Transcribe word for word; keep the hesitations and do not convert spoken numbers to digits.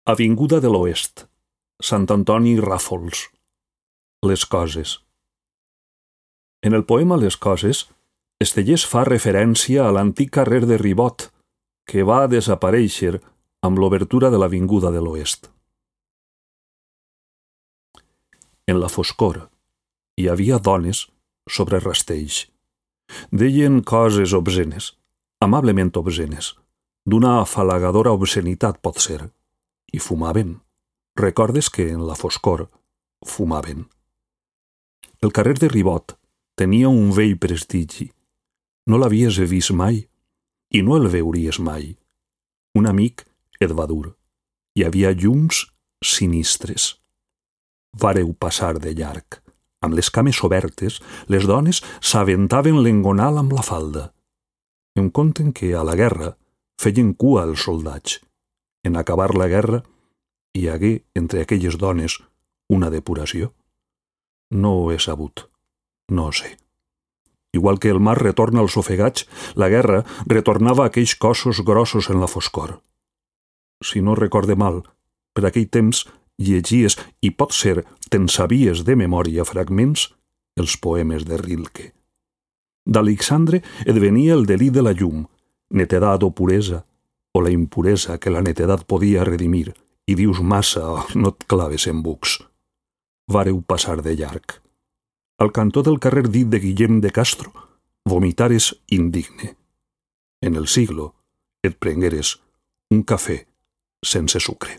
Avinguda de l'Oest, Sant Antoni Ràfols. Les coses. En el poema Les coses, Estellés fa referència a l'antic carrer de Ribot, que va desaparèixer amb l'obertura de l'Avinguda de l'Oest. En la foscor hi havia dones sobre rastells. Deien coses obscenes, amablement obscenes, d'una afalagadora obscenitat pot ser, i fumaven. Recordes que en la foscor fumaven. El carrer de Ribot tenia un vell prestigi. No l'havies vist mai i no el veuries mai. Un amic et va dur. Hi havia llums sinistres. Vareu passar de llarg. Amb les cames obertes, les dones s'aventaven l'engonal amb la falda. Em conten que a la guerra feien cua els soldats. En acabar la guerra, hi hagué entre aquelles dones una depuració. No ho he sabut. No ho sé. Igual que el mar retorna als ofegats, la guerra retornava aquells cossos grossos en la foscor. Si no recorde mal, per aquell temps llegies, i pot ser te'n sabies de memòria fragments, els poemes de Rilke. D'Alexandre et venia el delí de la llum, netedat o puresa, o la impuresa que la netedat podia redimir, i dius massa, oh, no et claves en bucs. Vareu passar de llarg. Al cantó del carrer dit de Guillem de Castro, vomitares indigne. En el siglo et prengueres un cafè sense sucre.